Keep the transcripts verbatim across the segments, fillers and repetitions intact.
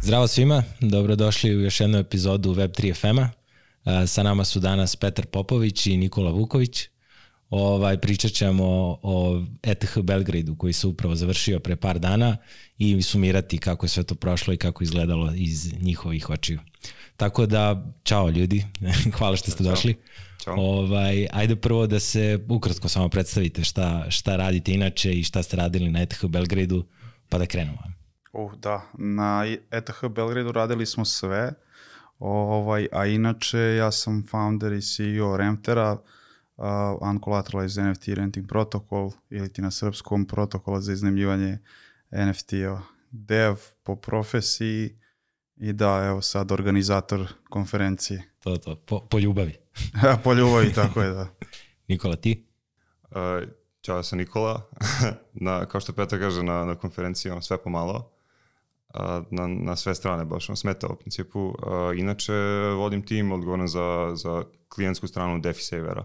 Zdravo svima, dobrodošli u još jednu epizodu Web tri F M-a. Sa nama su danas Petar Popović i Nikola Vuković. Ovaj, pričat ćemo o E T H Belgradu koji se upravo završio pre par dana i sumirati kako je sve to prošlo i kako izgledalo iz njihovih očiju. Tako da, čao ljudi, hvala što ste čao. došli. Ćao. Ovaj, ajde prvo da se ukratko samo predstavite šta, šta radite inače i šta ste radili na E T H Belgradu, pa da krenemo. Uh, da, na E T H Belgradu radili smo sve, ovaj, a inače ja sam founder i C E O Remtera, uh, Uncollateralized N F T Renting Protocol, ili ti na srpskom protokola za iznajmljivanje N F T-ova. Dev po profesiji i da, evo sad organizator konferencije. To, to, po, po ljubavi. Po ljubavi, tako je, da. Nikola, ti? Uh, Ćao, ja sam Nikola. na, kao što Petar kaže, na, na konferenciji on sve pomalo. Uh, na, na sve strane baš on smeta u principu. Uh, inače, vodim tim odgovoran za, za klijentsku stranu DeFi-Savera.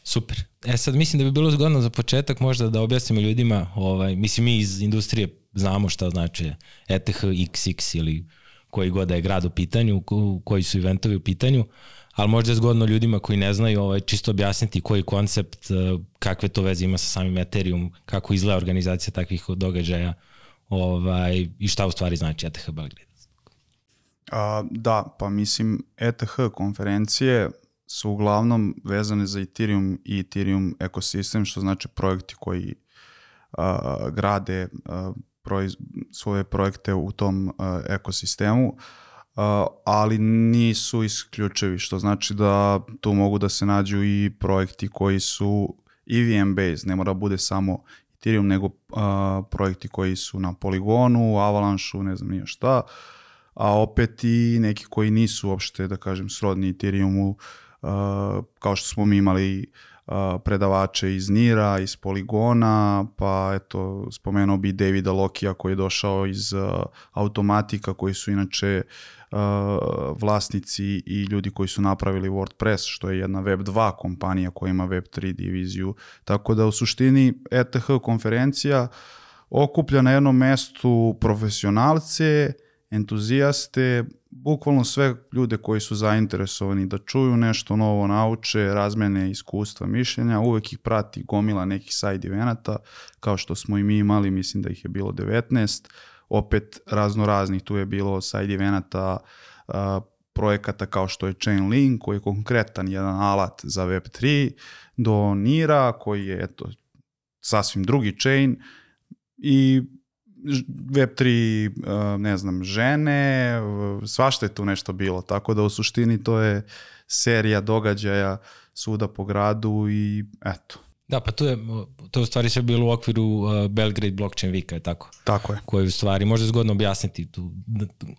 Super. E sad mislim da bi bilo zgodno za početak možda da objasnimo ljudima, ovaj, mislim mi iz industrije znamo šta znači E T H X X ili koji god da je grad u pitanju, koji su eventovi u pitanju, ali možda je zgodno ljudima koji ne znaju ovaj, čisto objasniti koji koncept, kakve to veze ima sa samim Ethereum, kako izgleda organizacija takvih događaja ovaj, i šta u stvari znači E T H Belgrade. Uh, da, pa mislim E T H konferencije su uglavnom vezane za Ethereum i Ethereum ekosistem, što znači projekti koji uh, grade uh, proiz, svoje projekte u tom uh, ekosistemu, uh, ali nisu isključivi, što znači da tu mogu da se nađu i projekti koji su E V M based, ne mora bude samo Ethereum, nego uh, projekti koji su na Polygonu, Avalanche-u, ne znam nije šta, a opet i neki koji nisu uopšte, da kažem, srodni Ethereumu, uh, kao što smo mi imali uh, predavače iz Nira, iz Polygona, pa eto, spomenuo bi Davida Lokija koji je došao iz uh, Automatika, koji su inače uh, vlasnici i ljudi koji su napravili WordPress, što je jedna Web dva kompanija koja ima Web tri diviziju. Tako da u suštini E T H konferencija okuplja na jednom mestu profesionalce, entuzijaste, bukvalno sve ljude koji su zainteresovani da čuju nešto novo, nauče, razmene iskustva, mišljenja, uvek ih prati gomila nekih side evenata, kao što smo i mi imali, mislim da ih je bilo devetnaest, opet razno raznih, tu je bilo side evenata, uh, projekata kao što je Chainlink, koji je konkretan jedan alat za Web tri, do Nira, koji je eto, sasvim drugi chain, i Web tri, ne znam, žene, svašta je tu nešto bilo, tako da u suštini to je serija događaja svuda po gradu i eto. Da, pa tu je, to je u stvari sve bilo u okviru uh, Belgrade Blockchain Weeka, je tako? Tako je. Koji u stvari, možda je zgodno objasniti tu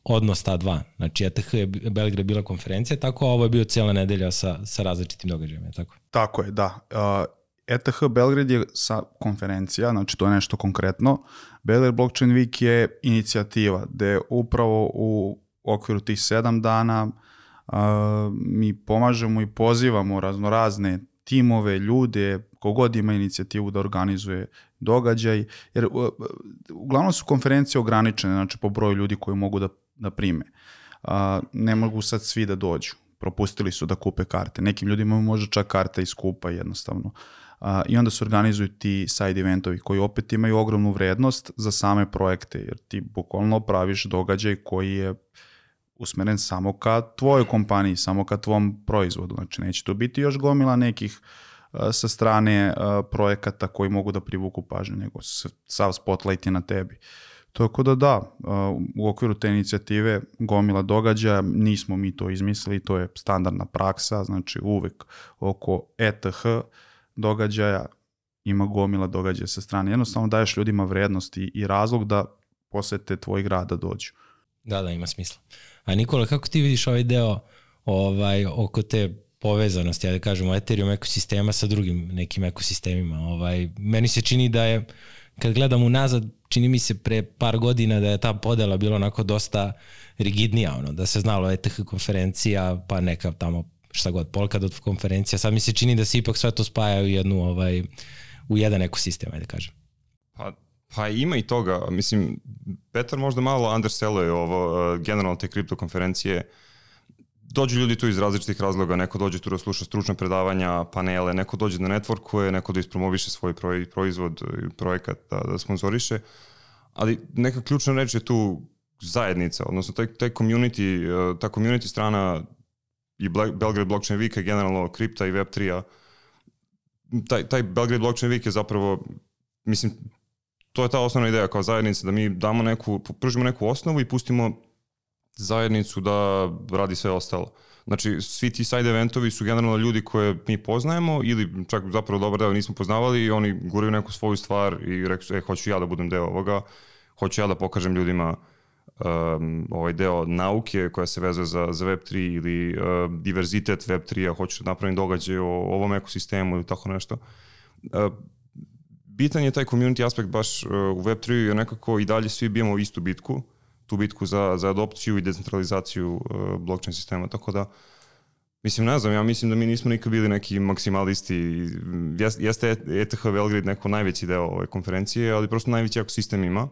odnos ta dva. Znači, E T H je Belgrade bila konferencija, tako, a ovo je bio cijela nedelja sa, sa različitim događajima, je tako? Tako je, da. Uh, E T H Belgrade je sa konferencija, znači to je nešto konkretno. Belgrade Blockchain Week je inicijativa gde upravo u okviru tih sedam dana uh, mi pomažemo i pozivamo raznorazne timove, ljude, kogod ima inicijativu da organizuje događaj, jer uh, uglavnom su konferencije ograničene, znači po broju ljudi koji mogu da, da prime. Uh, ne mogu sad svi da dođu, propustili su da kupe karte. Nekim ljudima može čak karta i skupa jednostavno. Uh, i onda se organizuju ti side eventovi koji opet imaju ogromnu vrednost za same projekte, jer ti bukvalno praviš događaj koji je usmeren samo ka tvojoj kompaniji, samo ka tvom proizvodu. Znači neće tu biti još gomila nekih uh, sa strane uh, projekata koji mogu da privuku pažnju, nego sav spotlight je na tebi. Tako da da, uh, u okviru te inicijative gomila događaja, nismo mi to izmislili, to je standardna praksa, znači uvek oko E T H događaja ima gomila događaja sa strane. Jednostavno daješ ljudima vrednost i, i razlog da posete tvoj grad da dođu. Da, da, ima smisla. A Nikola, kako ti vidiš ovaj deo ovaj, oko te povezanosti, ja da kažemo, Ethereum ekosistema sa drugim nekim ekosistemima? Ovaj, meni se čini da je, kad gledam unazad, čini mi se pre par godina da je ta podela bila onako dosta rigidnija, ono, da se znalo E T H konferencija, pa neka tamo šta god, Polkadot konferencija, sad mi se čini da se ipak sve to spaja u jednu, ovaj, u jedan ekosistem, ajde kažem. Pa Pa ima i toga, mislim, Petar možda malo underselluje ovo, uh, generalno te kripto konferencije. Dođu ljudi tu iz različitih razloga, neko dođe tu da sluša stručne predavanja, panele, neko dođe da networkuje, neko da ispromoviše svoj proizvod, projekat, da, da sponsoriše, ali neka ključna reč je tu zajednica, odnosno taj, taj community, ta community strana i Belgrade Blockchain Week, generalno kripta i web tri-a, taj, taj Belgrade Blockchain Week je zapravo, mislim, to je ta osnovna ideja kao zajednica, da mi damo neku, pružimo neku osnovu i pustimo zajednicu da radi sve ostalo. Znači, svi ti side eventovi su generalno ljudi koje mi poznajemo ili čak zapravo dobar deo nismo poznavali i oni guraju neku svoju stvar i rekli su, e, hoću ja da budem deo ovoga, hoću ja da pokažem ljudima um, ovaj deo nauke koja se vezuje za, za web tri ili uh, diverzitet web tri-a, hoću da napravim događaj o ovom ekosistemu ili tako nešto. Uh, bitan je taj community aspekt baš uh, u web tri-u jer nekako i dalje svi bijemo istu bitku, tu bitku za, za adopciju i decentralizaciju uh, blockchain sistema, tako da mislim, ne znam, ja mislim da mi nismo nikad bili neki maksimalisti. Jeste E T H Belgrade neko najveći deo ove konferencije, ali prosto najveći ekosistem ima.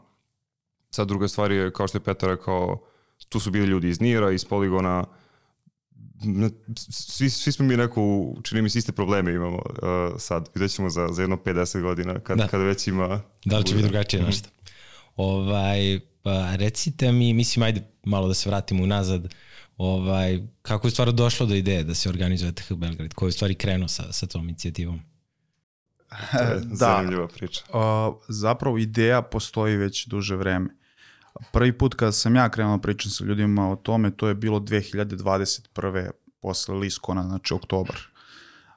Sad druga stvar je, kao što je Petar rekao, tu su bili ljudi iz Nira, iz Poligona, svi, svi smo mi neko, čini mi se iste probleme imamo uh, sad, vidjet ćemo za, za jedno pedeset godina, kad, da. kad već ima... Da li će biti drugačije mm-hmm. nešto? Ovaj, pa recite mi, mislim, ajde malo da se vratimo unazad, ovaj, kako je stvarno došlo do ideje da se organizuje E T H Belgrade, ko je stvari krenuo sa, sa tom inicijativom? To je da, zanimljiva priča. Uh, zapravo ideja postoji već duže vreme. Prvi put kada sam ja krenuo pričam sa ljudima o tome, to je bilo dve hiljade dvadeset prve posle Liskona, znači oktobar.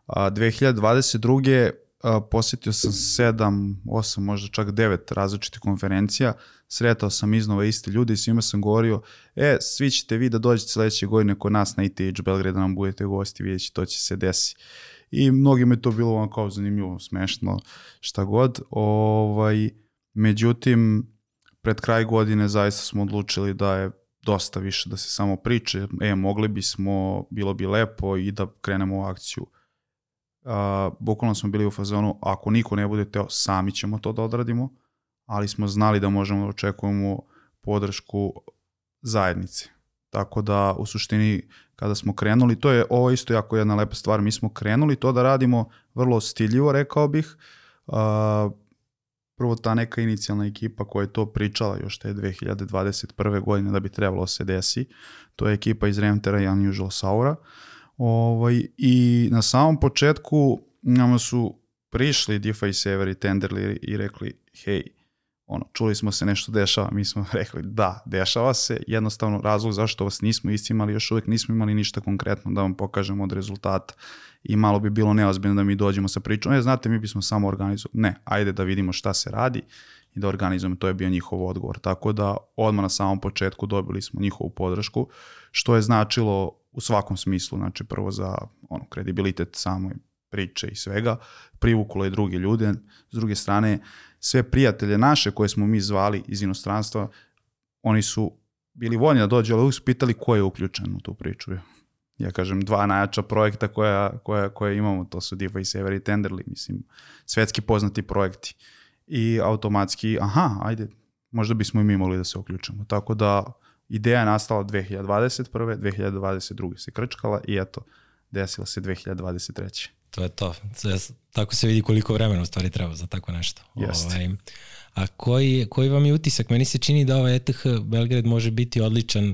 Uh, dve hiljade dvadeset druge Uh, posjetio sam sedam, osam, možda čak devet različitih konferencija, sretao sam iznova iste ljude i svima sam govorio, e, svi ćete vi da dođete sledeće godine kod nas na E T H Belgrade da nam budete gosti, vidjet će, to će se desi. I mnogima je to bilo ono kao zanimljivo, smešno, šta god. Ovaj, međutim, pred kraj godine zaista smo odlučili da je dosta više da se samo priče, e, mogli bismo, bilo bi lepo i da krenemo u akciju. Uh, bukvalno smo bili u fazonu, ako niko ne bude teo, sami ćemo to da odradimo, ali smo znali da možemo da očekujemo podršku zajednice. Tako da u suštini kada smo krenuli, to je ovo isto jako jedna lepa stvar, mi smo krenuli to da radimo vrlo stiljivo, rekao bih. Uh, prvo ta neka inicijalna ekipa koja je to pričala još te dve hiljade dvadeset prve godine da bi trebalo se desi, to je ekipa iz Remtera i Unusual Saura. Ovaj, i na samom početku nama su prišli DeFi serveri, Tenderly i rekli, hej, ono, čuli smo se nešto dešava, mi smo rekli da, dešava se, jednostavno razlog zašto vas nismo iscimali, još uvijek nismo imali ništa konkretno da vam pokažemo od rezultata i malo bi bilo neozbiljno da mi dođemo sa pričom, e, znate, mi bismo samo organizovali, ne, ajde da vidimo šta se radi i da organizujemo, to je bio njihov odgovor, tako da odmah na samom početku dobili smo njihovu podršku, što je značilo u svakom smislu, znači prvo za ono, kredibilitet samoj priče i svega, privuklo je druge ljude, s druge strane sve prijatelje naše koje smo mi zvali iz inostranstva, oni su bili voljni da dođu, ali uvijek su pitali ko je uključen u tu priču. Ja kažem, dva najjača projekta koja, koja, koje imamo, to su DeFi server i Tenderly, mislim, svetski poznati projekti. I automatski, aha, ajde, možda bismo i mi mogli da se uključimo. Tako da ideja je nastala dve hiljade dvadeset prve, dve hiljade dvadeset druge se krčkala i eto, desila se dve hiljade dvadeset treće To je to. Tako se vidi koliko vremena u stvari treba za tako nešto. Ovaj, a koji, koji vam je utisak? Meni se čini da ovaj E T H Belgrade može biti odličan,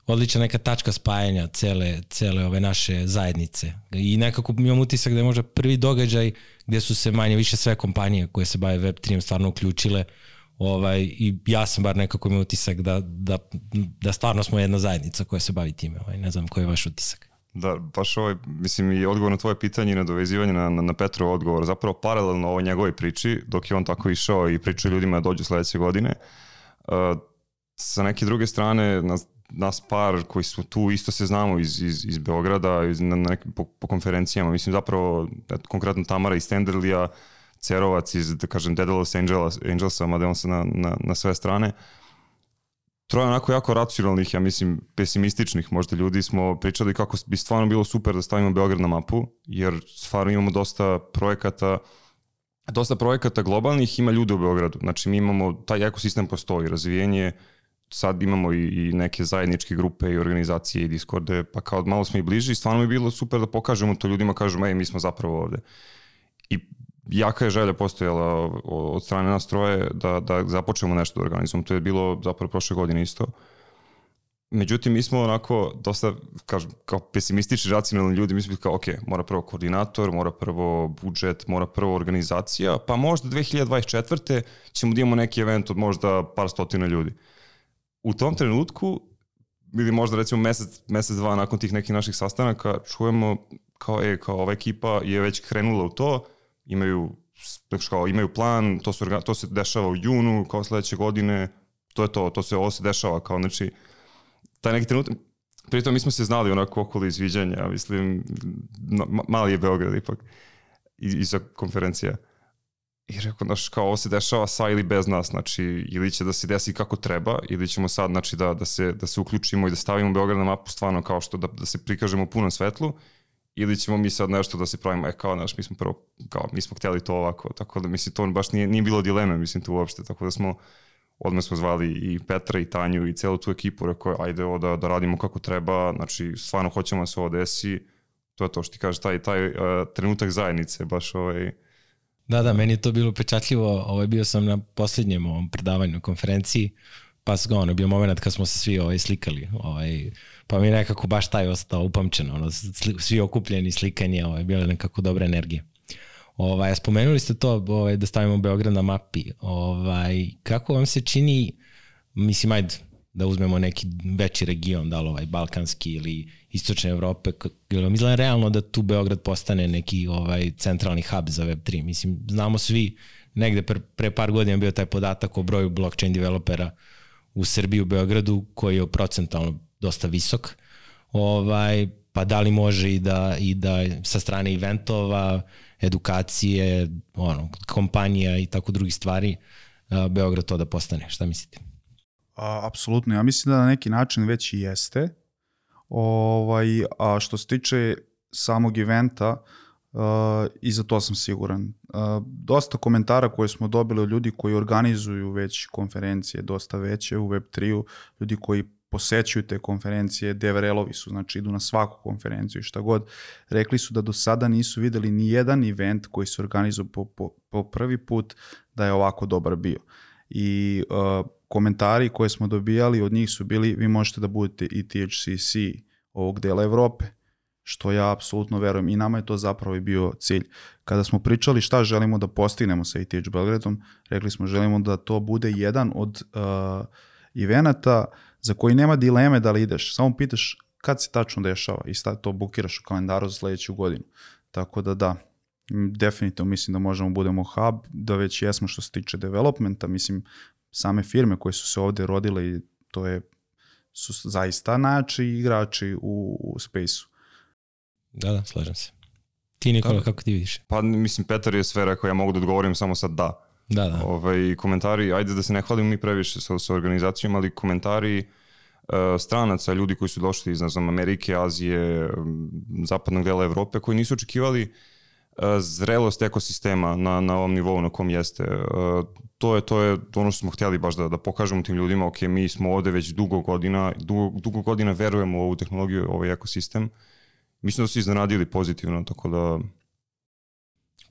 odlična neka tačka spajanja cele, cele ove naše zajednice. I nekako imam utisak da je možda prvi događaj gdje su se manje više sve kompanije koje se bave web tri stvarno uključile. Ovaj, i ja sam bar nekako imao utisak da, da, da stvarno smo jedna zajednica koja se bavi time. Ovaj, ne znam koji je vaš utisak. Da, baš ovaj, mislim i odgovor na tvoje pitanje i nadovezivanje na, na, na Petrov odgovor, zapravo paralelno ovoj njegovoj priči, dok je on tako išao i pričao ljudima da dođu sledeće godine, uh, sa neke druge strane nas, nas par koji su tu isto se znamo iz, iz, iz Beograda, iz, na, na nekim, po, po konferencijama, mislim zapravo konkretno Tamara iz Tenderlija, Cerovac iz, da kažem, Daedalus Angels, Angelsa, mada on se na, na, na sve strane. Troje onako jako racionalnih, ja mislim, pesimističnih možda ljudi smo pričali kako bi stvarno bilo super da stavimo Beograd na mapu, jer stvarno imamo dosta projekata dosta projekata globalnih ima ljude u Beogradu. Znači mi imamo, taj ekosistem postoji, razvijenje, sad imamo i, i neke zajedničke grupe i organizacije i Discorde, pa kao malo smo i bliži i stvarno mi je bilo super da pokažemo to ljudima, kažemo, ej, mi smo zapravo ovde. I jaka je želja postojala od strane nas troje da, da započnemo nešto da organizujemo. To je bilo zapravo prošle godine isto. Međutim, mi smo onako dosta, kažem, kao pesimistični, racionalni ljudi, mi smo kao, ok, mora prvo koordinator, mora prvo budžet, mora prvo organizacija, pa možda dve hiljade dvadeset četvrte ćemo da imamo neki event od možda par stotina ljudi. U tom trenutku, ili možda recimo mesec, mesec, dva nakon tih nekih naših sastanaka, čujemo kao, e, kao ova ekipa je već krenula u to, imaju, kao, imaju plan, to, su, to se dešava u junu, kao sledeće godine, to je to, to se, ovo se dešava, kao, znači, taj neki trenutak, pritom mi smo se znali onako okolo izviđanja, mislim, no, mali je Beograd ipak, iza konferencija. I rekao, znaš, kao ovo se dešava sa ili bez nas, znači, ili će da se desi kako treba, ili ćemo sad, znači, da, da, se, da se uključimo i da stavimo Beograd na mapu stvarno kao što, da, da se prikažemo u punom svetlu, ili ćemo mi sad nešto da se pravimo, e, kao, znaš, mi smo prvo, kao, mi smo htjeli to ovako, tako da, mislim, to baš nije, nije bilo dileme, mislim, to uopšte, tako da smo, odmah smo zvali i Petra i Tanju i celu tu ekipu, rekao, ajde ovo da, da radimo kako treba, znači, stvarno hoćemo da se ovo desi, to je to što ti kaže, taj, taj uh, trenutak zajednice, baš ovaj... Da, da, meni je to bilo pečatljivo, ovaj, bio sam na posljednjem ovom predavanju konferenciji, pa ono, bio moment kad smo se svi ovaj, slikali, ovaj, pa mi nekako baš taj ostao upamćeno, ono, svi okupljeni, slikanje, ovaj, bila nekako dobra energija. Ovaj, spomenuli ste to ovaj, da stavimo Beograd na mapi, ovaj, kako vam se čini, mislim, ajde, da uzmemo neki veći region, da li ovaj balkanski ili istočne Evrope, je vam izgleda realno da tu Beograd postane neki ovaj centralni hub za web tri? Mislim, znamo svi, negde pre, pre par godina bio taj podatak o broju blockchain developera u Srbiji, u Beogradu, koji je procentalno dosta visok, ovaj, pa da li može i da, i da sa strane eventova, edukacije, ono, kompanija i tako drugih stvari, Beograd to da postane, šta mislite? A, apsolutno, ja mislim da na neki način već i jeste. Ovaj, a što se tiče samog eventa, uh, i za to sam siguran. Uh, dosta komentara koje smo dobili od ljudi koji organizuju već konferencije, dosta veće u web tri-u, ljudi koji posećuju te konferencije, D V R L-ovi su, znači idu na svaku konferenciju i šta god, rekli su da do sada nisu videli ni jedan event koji se organizuje po, po, po prvi put da je ovako dobar bio. I uh, komentari koje smo dobijali od njih su bili, vi možete da budete i T H C C ovog dela Evrope, što ja apsolutno verujem i nama je to zapravo i bio cilj. Kada smo pričali šta želimo da postignemo sa E T H Belgradom, rekli smo želimo da to bude jedan od uh, evenata za koji nema dileme da li ideš, samo pitaš kad se tačno dešava i sad to bukiraš u kalendaru za sledeću godinu. Tako da da, definitivno mislim da možemo budemo hub, da već jesmo što se tiče developmenta, mislim same firme koje su se ovde rodile i to je, su zaista najjači igrači u, u space-u. Da, da, slažem se. Ti, Nikola, da, kako ti vidiš? Pa mislim, Petar je sve rekao, ja mogu da odgovorim samo sad da. Da, da. Ovaj, komentari, ajde da se ne hvalimo mi previše sa, sa organizacijom, ali komentari uh, stranaca, ljudi koji su došli iz, ne znam, Amerike, Azije, zapadnog dela Evrope, koji nisu očekivali uh, zrelost ekosistema na, na ovom nivou na kom jeste. Uh, to je to je ono što smo htjeli baš da, da pokažemo tim ljudima, ok, mi smo ovde već dugo godina, dugo, dugo godina verujemo u ovu tehnologiju, ovaj ekosistem. Mislim da su iznenadili pozitivno, tako da...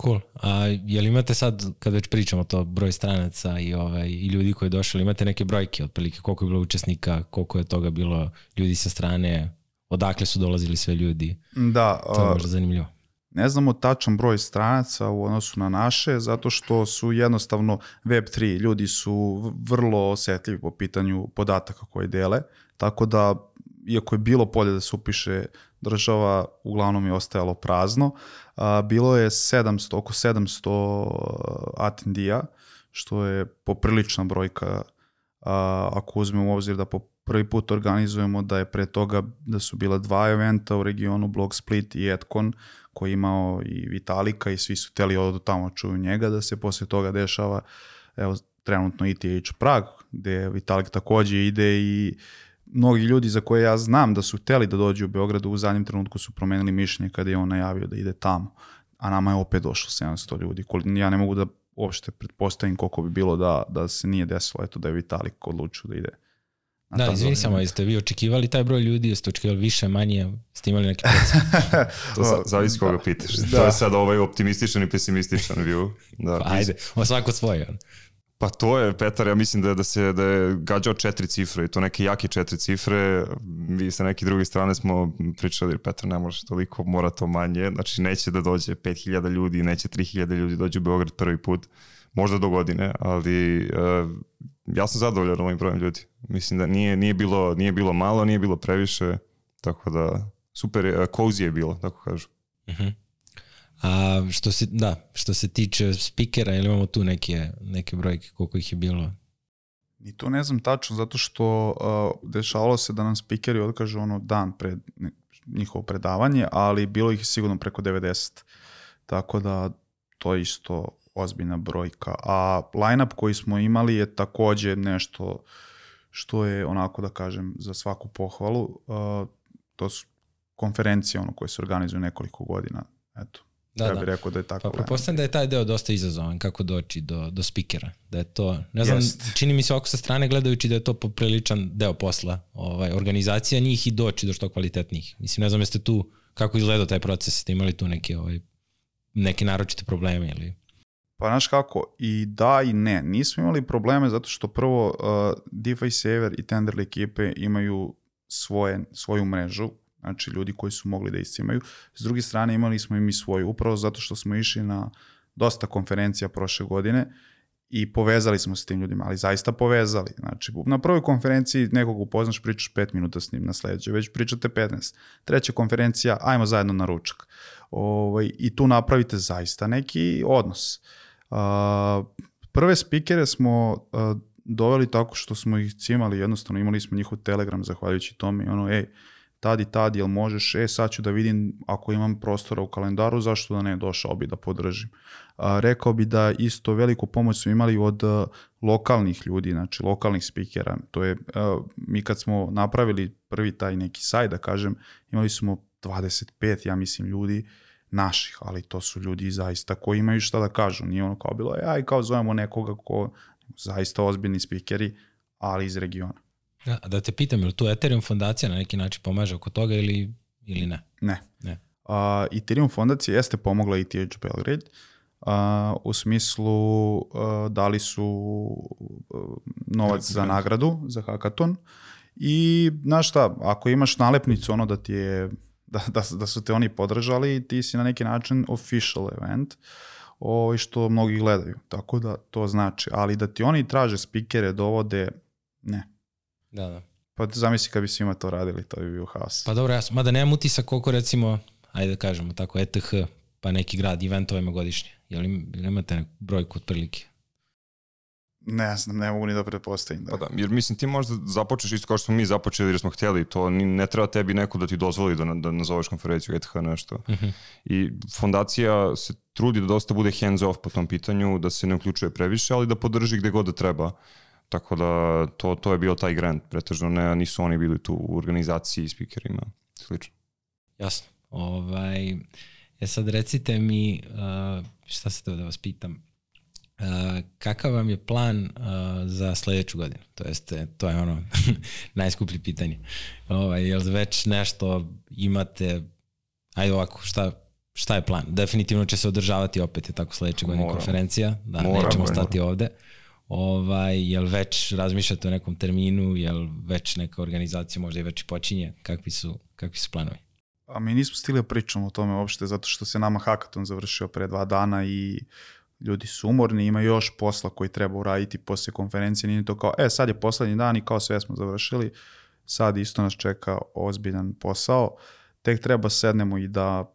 Cool. A je li imate sad, kad već pričamo to, broj stranaca i, ovaj, i ljudi koji je došli, imate neke brojke otprilike, koliko je bilo učesnika, koliko je toga bilo ljudi sa strane, odakle su dolazili sve ljudi? Da. To je možda zanimljivo. Ne znamo tačan broj stranaca u odnosu na naše, zato što su jednostavno web tri, ljudi su vrlo osjetljivi po pitanju podataka koje dele, tako da, iako je bilo polje da se upiše država, uglavnom je ostajalo prazno. A, bilo je sedamsto, oko sedamsto atendija, što je poprilična brojka, a, ako uzmemo u obzir da po prvi put organizujemo, da je pre toga da su bila dva eventa u regionu, Blog Split i Edcon, koji je imao i Vitalika i svi su hteli odu tamo čuju njega, da se posle toga dešava, evo, trenutno E T H Prag, gde Vitalik takođe ide i mnogi ljudi za koje ja znam da su hteli da dođu u Beogradu, u zadnjem trenutku su promenili mišljenje kada je on najavio da ide tamo. a nama je opet došlo sedamsto ljudi. Ja ne mogu da uopšte pretpostavim koliko bi bilo da, da se nije desilo, eto da je Vitalik odlučio da ide. Da, izvini samo, jeste vi očekivali taj broj ljudi, jeste očekivali više, manje, ste imali neki procent? To zavisi koga pitaš. Da. To je sad ovaj optimističan i pesimističan view. Da, pa ajde, o svako svoje. Pa to je, Petar, ja mislim da je, da se, da je gađao četiri cifre i to neke jake četiri cifre. Vi sa neke druge strane smo pričali, Petar, ne može toliko, mora to manje. Znači neće da dođe pet hiljada ljudi, neće tri hiljade ljudi dođe u Beograd prvi put. Možda do godine, ali uh, ja sam zadovoljan ovim brojem ljudi. Mislim da nije, nije, bilo, nije bilo malo, nije bilo previše, tako da super, uh, cozy je bilo, tako kažu. Uh-huh. A što se, da, što se tiče spikera, ili imamo tu neke, neke brojke, koliko ih je bilo? I to ne znam tačno, zato što uh, dešavalo se da nam spikeri otkažu ono dan pred njihovo predavanje, ali bilo ih je sigurno preko devedeset. Tako da to je isto ozbiljna brojka. A line-up koji smo imali je takođe nešto što je onako da kažem za svaku pohvalu. Uh, to su konferencije ono koje se organizuju nekoliko godina. Eto. Da, ja bih da. rekao da je tako. Pa pretpostavljam da je taj deo dosta izazovan, kako doći do, do spikera. Da je to, ne znam, Jest. čini mi se ovako sa strane gledajući da je to popriličan deo posla, ovaj, organizacija njih i doći do što kvalitetnijih. Mislim, ne znam, jeste tu, kako izgledao taj proces, ste imali tu neke, ovaj, neke naročite probleme ili... Pa znaš kako, i da i ne. Nismo imali probleme zato što prvo uh, DeFi Saver i Tenderly ekipe imaju svoje, svoju mrežu, znači ljudi koji su mogli da iscimaju. S druge strane imali smo i mi svoju, upravo zato što smo išli na dosta konferencija prošle godine i povezali smo se s tim ljudima, ali zaista povezali. Znači, na prvoj konferenciji nekog upoznaš, pričaš pet minuta s njim, na sledećoj već pričate petnaest. Treća konferencija, ajmo zajedno na ručak. Ovaj, I tu napravite zaista neki odnos. Uh, prve spikere smo uh, doveli tako što smo ih cimali, jednostavno imali smo njihov Telegram zahvaljujući tome i ono, ej, tad i tad, jel možeš, e, sad ću da vidim ako imam prostora u kalendaru, zašto da ne, došao bi da podržim. A, rekao bi da isto veliku pomoć su imali od a, lokalnih ljudi, znači lokalnih spikera. To je, a, mi kad smo napravili prvi taj neki sajt, da kažem, imali smo dvadeset pet, ja mislim, ljudi naših, ali to su ljudi zaista koji imaju šta da kažu. Nije ono kao bilo, aj kao zovemo nekoga ko zaista ozbiljni spikeri, ali iz regiona. Da, da te pitam, je li tu Ethereum fondacija na neki način pomaže oko toga ili, ili ne? Ne. ne. Uh, Ethereum fondacija jeste pomogla E T H Belgrade, uh, u smislu uh, dali su uh, novac za nagradu, za hackathon i znaš šta, ako imaš nalepnicu ono da ti je, da, da, da su te oni podržali, ti si na neki način official event, ovaj, što mnogi gledaju, tako da to znači, ali da ti oni traže spikere, dovode, ne. Da, da. Pa zamisli kad bi svima to radili, to bi bio haos. Pa dobro, ja, mada nemam utisak koliko recimo, ajde da kažemo tako, E T H, pa neki grad, eventova ima godišnje. Jel imate neku brojku otprilike? Ne znam, ne mogu ni da pretpostavim. Da. Pa da, jer mislim ti možda započeš isto kao što smo mi započeli jer smo htjeli, to ne treba tebi neko da ti dozvoli da, da nazoveš konferenciju E T H nešto. Uh-huh. I fondacija se trudi da dosta bude hands off po tom pitanju, da se ne uključuje previše, ali da podrži gde god da treba. Tako da to, to je bio taj grant, pretežno ne, nisu oni bili tu u organizaciji speakerima, slično. Jasno. Ovaj, ja sad recite mi, uh, šta se to da vas pitam, uh, kakav vam je plan uh, za sledeću godinu? To jeste, to je ono najskuplje pitanje. Ovaj, jel već nešto imate, ajde ovako, šta, šta je plan? Definitivno će se održavati opet, je tako sledeće godine konferencija, da Moram, nećemo stati moram. ovde. Ovaj, jel već razmišljate o nekom terminu, jel već neka organizacija možda i već i počinje, kakvi su, kakvi su planovi? A mi nismo stigli da pričamo o tome uopšte, zato što se nama hackathon završio pre dva dana i ljudi su umorni, ima još posla koji treba uraditi posle konferencije, nije to kao, e sad je poslednji dan i kao sve smo završili, sad isto nas čeka ozbiljan posao, tek treba sednemo i da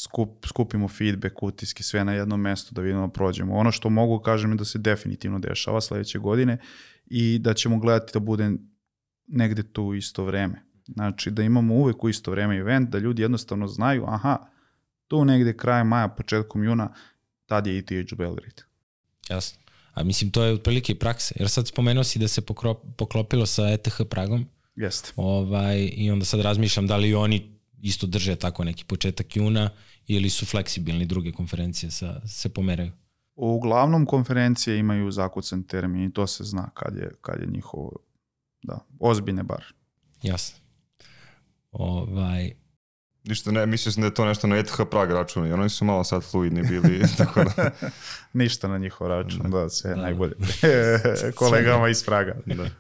Skup, skupimo feedback, utiske, sve na jednom mestu da vidimo prođemo. Ono što mogu kažem je da se definitivno dešava sledeće godine i da ćemo gledati da bude negde tu isto vreme. Znači da imamo uvek u isto vreme event, da ljudi jednostavno znaju, aha, tu negde kraj maja, početkom juna, tad je E T H Belgrade. Jasno. A mislim to je otprilike i praksa, jer sad spomenuo si da se pokro, poklopilo sa E T H Pragom. Jeste. Ovaj, i onda sad razmišljam da li oni isto drže tako neki početak juna ili su fleksibilni druge konferencije sa, se pomeraju? Uglavnom konferencije imaju zakucan termin i to se zna kad je, kad je njihovo, da, ozbiljne bar. Jasno. Ovaj... Ništa ne, mislio sam da je to nešto na E T H Prag računu i oni su malo sad fluidni bili. Tako da... Ništa na njihov račun, da, da sve da. Najbolje. Kolegama iz Praga. Da.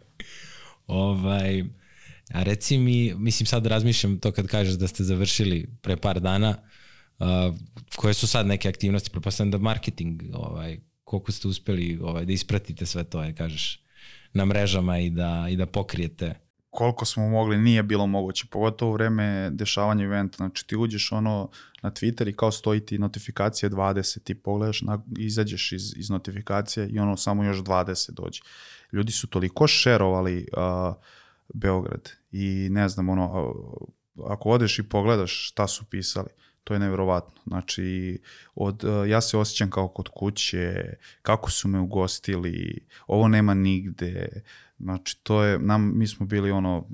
Ovaj, a reci mi, mislim sad razmišljam to kad kažeš da ste završili pre par dana, uh, koje su sad neke aktivnosti, pretpostavljam da marketing, ovaj, koliko ste uspeli ovaj, da ispratite sve to, je, kažeš, na mrežama i da, i da pokrijete? Koliko smo mogli, nije bilo moguće, pogotovo u vreme dešavanja eventa, znači ti uđeš ono na Twitter i kao stoji ti notifikacije dvadeset, ti pogledaš, na, izađeš iz, iz notifikacije i ono samo još dvadeset dođe. Ljudi su toliko šerovali uh, Beograd i ne znam, ono, uh, ako odeš i pogledaš šta su pisali, to je nevjerovatno. Znači, od, uh, ja se osjećam kao kod kuće, kako su me ugostili, ovo nema nigde. Znači, to je, nam, mi smo bili ono,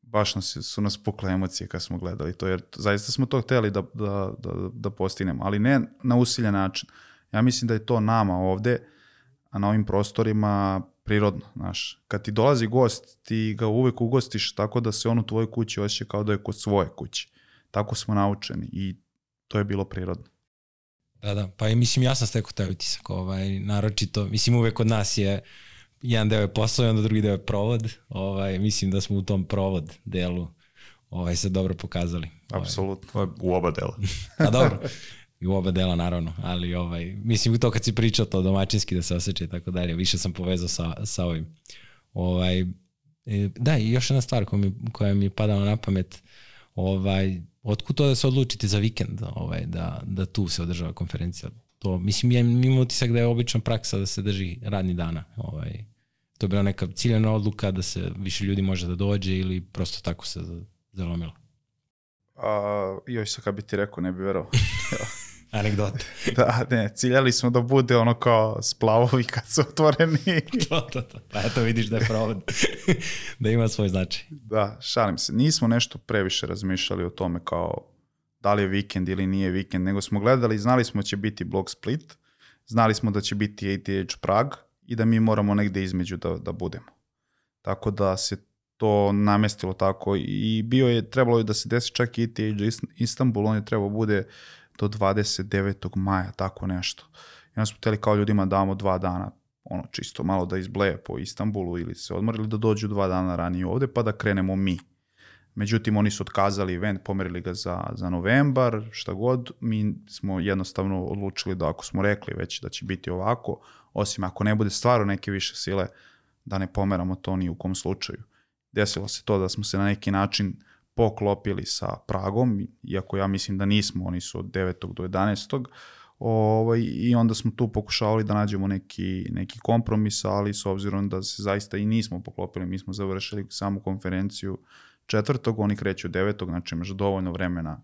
baš nas, su nas pukle emocije kad smo gledali to, jer zaista smo to hteli da, da, da, da postignemo, ali ne na usiljen način. Ja mislim da je to nama ovde, a na ovim prostorima prirodno, znaš. Kad ti dolazi gost, ti ga uvek ugostiš tako da se on u tvojoj kući osjeća kao da je kod svoje kuće. Tako smo naučeni i to je bilo prirodno. Da, da, pa i mislim ja sam stekao taj utisak, ovaj, naročito, mislim uvek kod nas je jedan deo je posao i onda drugi deo je provod, ovaj, mislim da smo u tom provod delu ovaj, se dobro pokazali. Apsolutno. Ovaj, u oba dela. A dobro, i u oba dela naravno, ali ovaj, mislim to kad si pričao to domaćinski da se osjeća i tako dalje, više sam povezao sa, sa ovim. Ovaj, da, i još jedna stvar koja mi, koja mi je padala na pamet, ovaj, otkud to da se odlučite za vikend, ovaj, da, da tu se održava konferencija? To, mislim, ja imam utisak da je obična praksa da se drži radni dana. Ovaj, to je bila neka ciljena odluka da se više ljudi može da dođe ili prosto tako se zalomilo? A, joj se kad bi ti rekao, ne bi verovao. Anegdote. Da, ne, ciljali smo da bude ono kao splavovi kad su otvoreni. to, to, to. Pa eto vidiš da je provod, da ima svoj značaj. Da, šalim se. Nismo nešto previše razmišljali o tome kao da li je vikend ili nije vikend, nego smo gledali, znali smo da će biti Blog Split, znali smo da će biti A T H Prag i da mi moramo negde između da, da budemo. Tako da se to namestilo tako i bio je, trebalo je da se desi čak i A T H Istanbul, on je trebao bude do dvadeset devetog maja, tako nešto. I onda smo hteli kao ljudima damo dva dana, ono čisto malo da izbleje po Istanbulu ili se odmorili da dođu dva dana ranije ovde pa da krenemo mi. Međutim, oni su otkazali event, pomerili ga za, za novembar, šta god. Mi smo jednostavno odlučili da ako smo rekli već da će biti ovako, osim ako ne bude stvarno neke više sile, da ne pomeramo to ni u kom slučaju. Desilo se to da smo se na neki način poklopili sa Pragom, iako ja mislim da nismo, oni su od devetog do jedanaestog Ovaj, i onda smo tu pokušavali da nađemo neki, neki kompromis, ali s obzirom da se zaista i nismo poklopili, mi smo završili samu konferenciju četvrtog, oni kreću devetog, znači imaš dovoljno vremena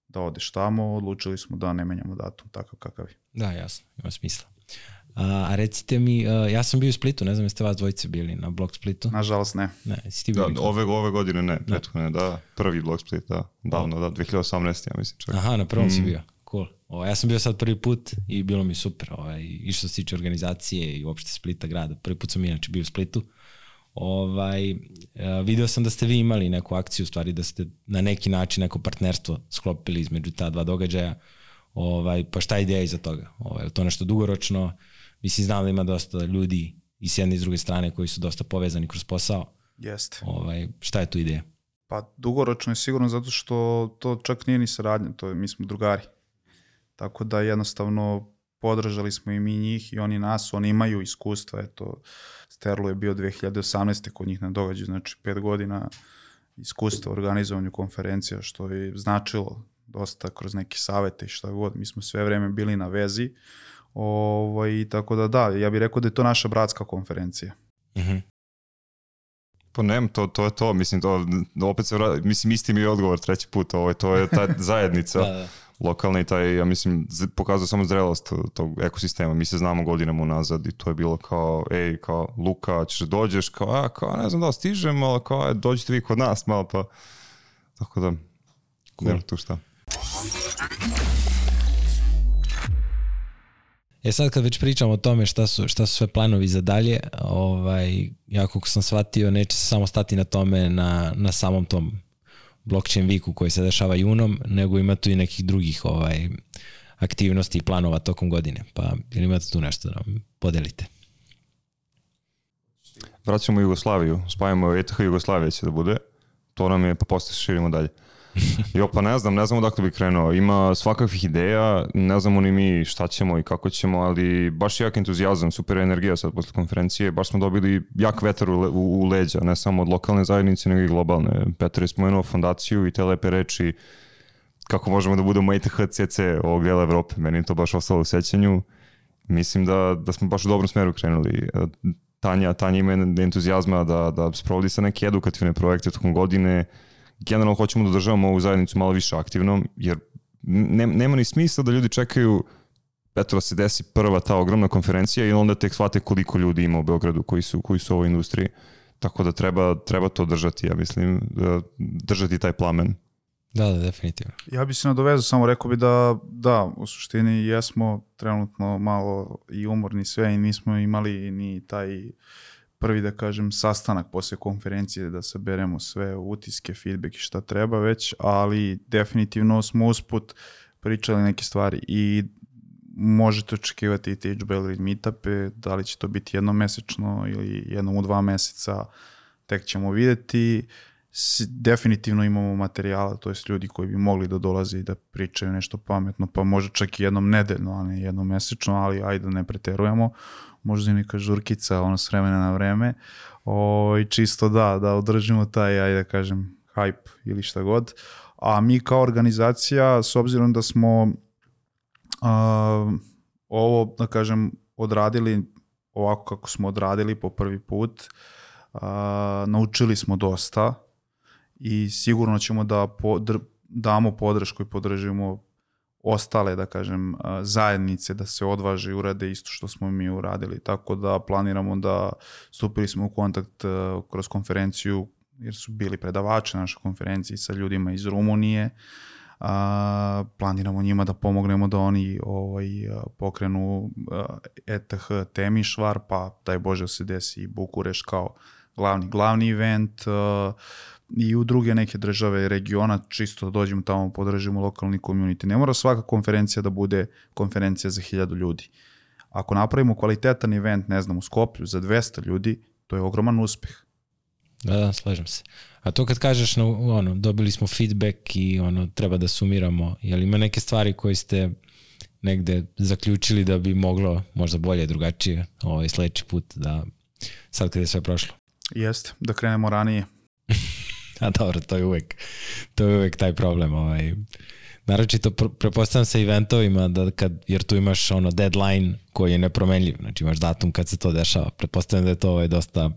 da odeš tamo, odlučili smo da ne menjamo datum takav kakav je. Da, jasno, ima smisla. A, a recite mi, a, ja sam bio u Splitu, ne znam jeste vas dvojice bili na Blog Splitu? Nažalost ne. Ne, jesi ti bili? Da, ove, ove godine ne, prethodne, da, prvi Blog Split, da, davno, da, dve hiljade osamnaeste ja mislim čak. Aha, na prvom mm. si bio, cool. O, ja sam bio sad prvi put i bilo mi super, ovaj, i što se tiče organizacije i uopšte Splita grada, prvi put sam inače bio u Splitu. Ovaj, video sam da ste vi imali neku akciju, u stvari da ste na neki način neko partnerstvo sklopili između ta dva događaja, ovaj, pa šta je ideja iza toga? Ovaj, je to nešto dugoročno? Mislim, znam da ima dosta ljudi i s jedne i s druge strane koji su dosta povezani kroz posao. Jeste. Ovaj, šta je tu ideja? Pa dugoročno je sigurno zato što to čak nije ni saradnja, to je, mi smo drugari. Tako da jednostavno podržali smo i mi njih i oni nas, oni imaju iskustva, eto, Sterlo je bio dve hiljade osamnaeste kod njih na događaju, znači pet godina iskustva u organizovanju konferencija, što je značilo dosta kroz neke savete i šta god, mi smo sve vreme bili na vezi, ovaj, tako da da, ja bih rekao da je to naša bratska konferencija. Mhm. Pa nem, to, to je to, mislim, to, opet se vrati, mislim, isti mi je odgovor treći put, ovo, to je ta zajednica. Da, da. Lokalni i taj, ja mislim, pokazao samo zrelost tog ekosistema. Mi se znamo godinama unazad i to je bilo kao, ej, kao, Luka, ćeš dođeš, kao, a, kao, ne znam da li stižem, ali kao, dođite vi kod nas malo, pa, tako da, cool. Nema tu šta. E sad kad već pričamo o tome šta su, šta su sve planovi za dalje, ovaj, ja kako sam shvatio, neće se samo stati na tome na, na samom tom blockchain weeku koji se dešava junom, nego ima tu i nekih drugih ovaj, aktivnosti i planova tokom godine. Pa ili imate tu nešto da nam podelite? Vraćamo Jugoslaviju, spajamo E T H Jugoslavije će da bude, to nam je, pa posle širimo dalje. Jo, pa ne znam, ne znam odakle bi krenuo. Ima svakakvih ideja, ne znamo ni mi šta ćemo i kako ćemo, ali baš jak entuzijazam, super energija sad posle konferencije, baš smo dobili jak vetar u, u, u leđa, ne samo od lokalne zajednice, nego i globalne. Petar je spomenuo fondaciju i te lepe reči kako možemo da budemo E T H C C ovog dela Evrope. Meni je to baš ostalo u sećanju. Mislim da, da smo baš u dobrom smeru krenuli. Tanja, Tanja ima entuzijazma da, da sprovodi sa neke edukativne projekte tokom godine. Generalno hoćemo da državamo ovu zajednicu malo više aktivnom, jer ne, nema ni smisla da ljudi čekaju eto da se desi prva ta ogromna konferencija i onda tek shvate koliko ljudi ima u Beogradu koji su, koji su u ovoj industriji. Tako da treba, treba to držati, ja mislim, držati taj plamen. Da, da, definitivno. Ja bi se nadovezao, samo rekao bi da, da, u suštini jesmo trenutno malo i umorni sve i nismo imali ni taj prvi, da kažem, sastanak posle konferencije da saberemo sve utiske, feedback i šta treba već, ali definitivno smo usput pričali neke stvari i možete očekivati i te Belgrade meetupe, da li će to biti jednomesečno ili jednom u dva meseca, tek ćemo vidjeti. Definitivno imamo materijala, to jest ljudi koji bi mogli da dolaze i da pričaju nešto pametno, pa možda čak i jednom nedeljno, a ne jednom mesečno, ali ajde da ne preterujemo. Možda i neka žurkica, ono s vremena na vreme. O, i čisto da, da održimo taj, ajde da kažem, hype ili šta god. A mi kao organizacija, s obzirom da smo a, ovo, da kažem, odradili ovako kako smo odradili po prvi put, a, naučili smo dosta i sigurno ćemo da podr- damo podršku i podržimo ostale, da kažem, zajednice da se odvaže i urade isto što smo mi uradili. Tako da planiramo da stupili smo u kontakt kroz konferenciju, jer su bili predavači na našoj konferenciji sa ljudima iz Rumunije. A, planiramo njima da pomognemo da oni ovaj, pokrenu E T H Temišvar, pa daj Bože se desi i Bukureš kao glavni, glavni event, i u druge neke države regiona, čisto dođemo tamo, podržimo lokalni community. Ne mora svaka konferencija da bude konferencija za hiljadu ljudi. Ako napravimo kvalitetan event, ne znam, u Skoplju za dvesta ljudi, to je ogroman uspeh. Da, da, slažem se. A to kad kažeš, no, ono, dobili smo feedback i ono, treba da sumiramo, je li ima neke stvari koje ste negde zaključili da bi moglo možda bolje, drugačije ovaj, sledeći put, da sad kad je sve prošlo? Jeste, da krenemo ranije. A dobro, to je uvek, to je uvek taj problem. Ovaj. Naročito prepostavljam sa eventovima, da kad, jer tu imaš ono deadline koji je nepromenljiv, znači imaš datum kad se to dešava. Pretpostavljam da je to ovaj, dosta,